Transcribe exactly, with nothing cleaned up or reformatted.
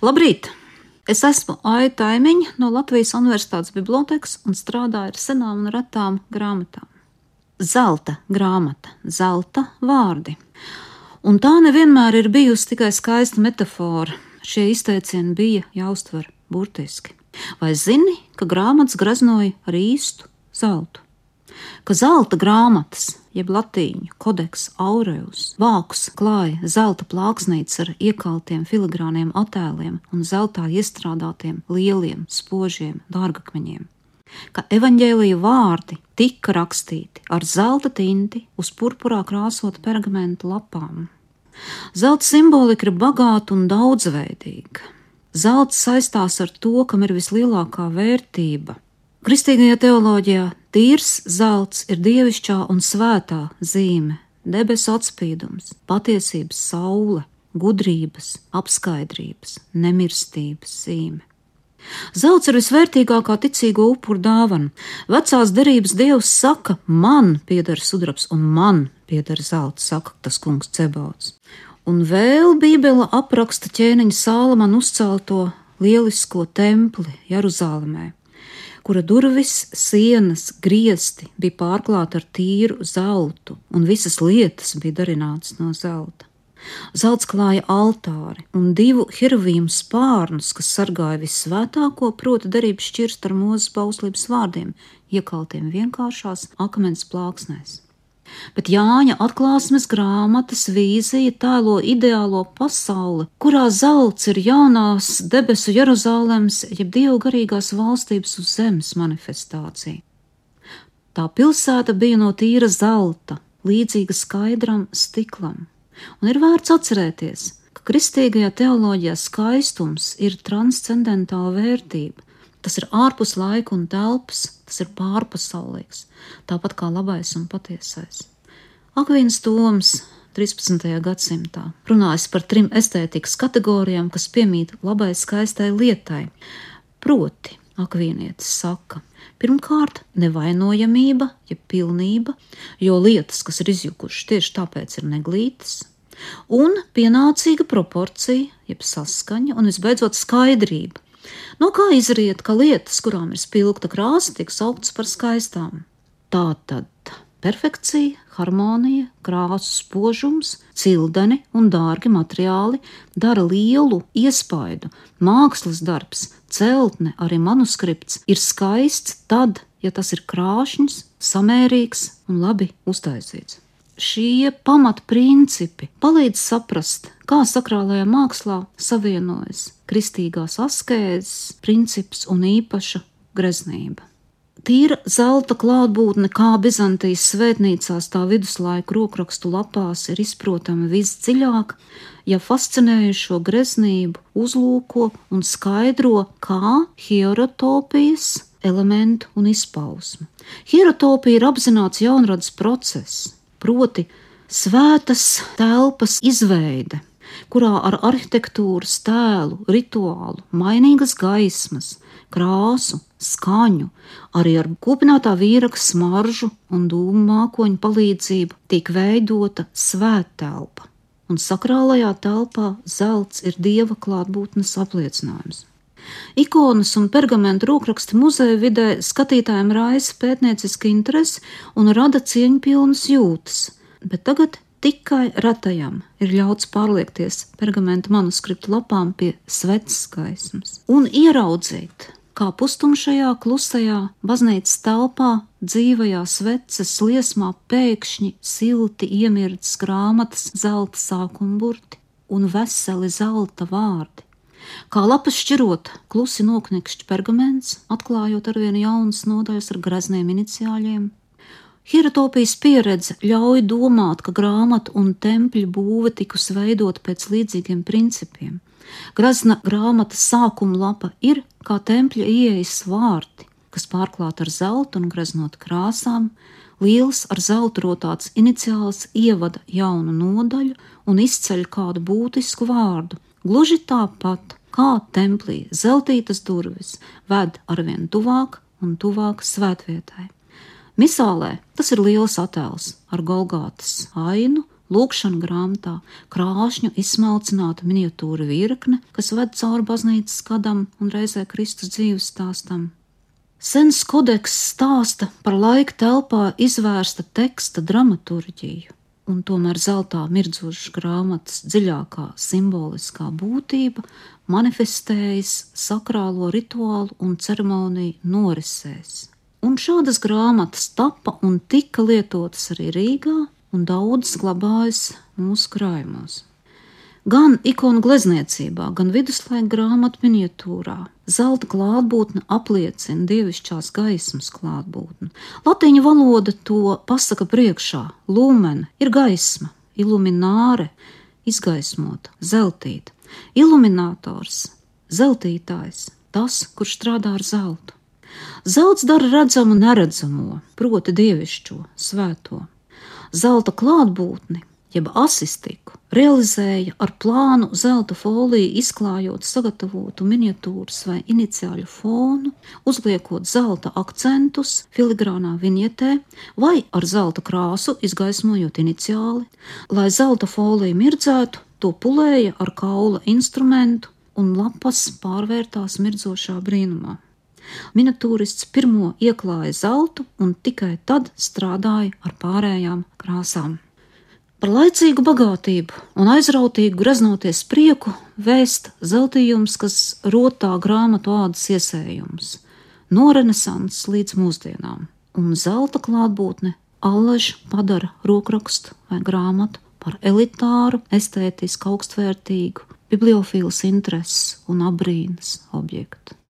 Labrīt! Es esmu Aita Taimiņa no Latvijas Universitātes bibliotekas un strādāju ar senām un retām grāmatām. Zelta grāmata, zelta vārdi. Un tā nevienmēr ir bijusi tikai skaista metafora. Šie izteicieni bija jāuztver burtiski. Vai zini, ka grāmatas graznoja ar īstu zeltu? Ka zelta grāmatas, jeb latīņu kodeks aureus, vākus klāja zelta plāksnītes ar iekaltiem filigrāniem attēliem un zeltā iestrādātiem lieliem, spožiem dārgakmeņiem. Ka evaņģēlija vārdi tika rakstīti ar zelta tinti uz purpurā krāsota pergamenta lapām. Zelta simbolika ir bagāta un daudzveidīga. Zelts saistās ar to, kam ir vislielākā vērtība. Kristīgajā teoloģijā tīrs zelts ir dievišķā un svētā zīme, debesu atspīdums, patiesības saule, gudrības, apskaidrības, nemirstības zīme. Zelts ir visvērtīgākā ticīgo upuru dāvana. Vecās derības dievs saka, man pieder sudrabs un man pieder zelts, saka tas kungs Cebauts. Un vēl Bībele apraksta ķēniņa Sālamana uzcelto lielisko templi Jeruzālemē, kura durvis, sienas, griesti bija pārklāti ar tīru zeltu, un visas lietas bija darinātas no zelta. Zelts klāja altāri un divu hiravīmu spārnus, kas sargāja vissvētāko, proti derības šķirstu ar Mūzes bauslības vārdiem, iekaltiem vienkāršās akmens plāksnēs. Bet Jāņa atklāsmes grāmatas vīzija tēlo ideālo pasauli, kurā zelts ir jaunās debesu Jeruzālemes, jeb Dievu garīgās valstības uz zemes manifestācija. Tā pilsēta bija no tīra zelta, līdzīga skaidram stiklam. Un ir vērts atcerēties, ka kristīgajā teoloģijā skaistums ir transcendentāla vērtība. Tas ir ārpus laika un telpas, tas ir pārpasaulīgs, tāpat kā labais un patiesais. Akvīns Toms trīspadsmitajā gadsimtā runājas par trim estētikas kategorijām, kas piemīt labai skaistai lietai. Proti, akvīnietis saka, pirmkārt, nevainojamība, jeb pilnība, jo lietas, kas ir izjukušas, tieši tāpēc ir neglītas, un pienācīga proporcija, jeb saskaņa, un visbeidzot skaidrība. No kā izriet, ka lietas, kurām ir spilgta krāsa, tiek sauktas par skaistām? Tātad perfekcija, harmonija, krāsu spožums, cildeni un dārgi materiāli dara lielu iespaidu. Mākslas darbs, celtne, arī manuskripts ir skaists tad, ja tas ir krāšņs, samērīgs un labi uztaisīts. Šie pamatprincipi palīdz saprast, kā sakrālajā mākslā savienojas kristīgās askēzes princips un īpaša greznība. Tīra zelta klātbūtne kā Bizantijas svētnīcās tā viduslaiku rokrakstu lapās ir izprotama visdziļāk, ja fascinējušo greznību uzlūko un skaidro kā hierotopijas elementu un izpausmu. Hierotopija ir apzināts jaunradas process, proti svētas telpas izveide, kurā ar arhitektūras tēlu, rituālu, mainīgas gaismas, krāsu, skaņu, arī ar kūpinātā vīraka smaržu un dūmu mākoņu palīdzību tiek veidota svēttelpa, un sakrālajā telpā zelts ir dieva klātbūtnes apliecinājums. Ikonas un pergamentu rokraksti muzeja vidē skatītājiem raisa pētnieciska interese un rada cieņpilnas jūtas, bet tagad tikai retajam ir ļauts pārliekties pergamentu manuskriptu lapām pie sveces gaismas un ieraudzīt, kā pustumšajā, klusajā baznīcas telpā, dzīvajā sveces liesmā pēkšņi silti iemirdzas grāmatas zelta sākuma burti un veseli zelta vārdi. Kā lapas šķirot, klusi noknekšķi pergaments, atklājot arvien jaunas nodaļas ar grezniem iniciāļiem. Hierotopijas pieredze ļauj domāt, ka grāmatu un tempļu būve tikus veidot pēc līdzīgiem principiem. Grazna grāmatas sākuma lapa ir kā tempļa ieejas vārti, kas pārklāt ar zeltu un greznot krāsām, liels ar zeltu rotāts iniciāls ievada jaunu nodaļu un izceļ kādu būtisku vārdu. Gluži tāpat, kā templī zeltītas durvis ved arvien tuvāk un tuvāk svētvietai. Misālē tas ir liels attēls ar Golgātas ainu lūkšana grāmatā krāšņu izsmalcināta miniatūra virkne, kas ved cauri baznīcas skadam un reizē Kristus dzīves stāstam. Sens kodeks stāsta par laika telpā izvērsta teksta dramaturģiju, un tomēr zeltā mirdzošas grāmatas dziļākā simboliskā būtība manifestējas sakrālo rituālu un ceremoniju norisēs. Un šādas grāmatas tapa un tika lietotas arī Rīgā, un daudzas glabājas mūsu krājumos. Gan ikonu glezniecībā, gan viduslaika grāmatu miniatūrā zelta klātbūtne apliecina dievišķās gaismas klātbūtni. Latīņu valoda to pasaka priekšā. Lumen ir gaisma, ilumināre, izgaismota, zeltīta. Iluminators, zeltītājs, tas, kurš strādā ar zeltu. Zelts dara redzamu neredzamo, proti dievišķo, svēto. Zelta klātbūtni, jeb asistiku, realizēja ar plānu zelta foliju izklājot sagatavotu miniatūras vai iniciāļu fonu, uzliekot zelta akcentus filigrānā viņetē vai ar zelta krāsu izgaismojot iniciāli. Lai zelta folija mirdzētu, to pulēja ar kaula instrumentu un lapas pārvērtās mirdzošā brīnumā. Miniatūrists pirmo ieklāja zeltu un tikai tad strādāja ar pārējām krāsām. Par laicīgu bagātību un aizrautīgu greznoties prieku vēst zeltījums, kas rotā grāmatu ādas iesējums, no renesanses līdz mūsdienām, un zelta klātbūtne allaž padara rokrakstu vai grāmatu par elitāru, estētisku, augstvērtīgu, bibliofīlas intereses un abrīnas objektu.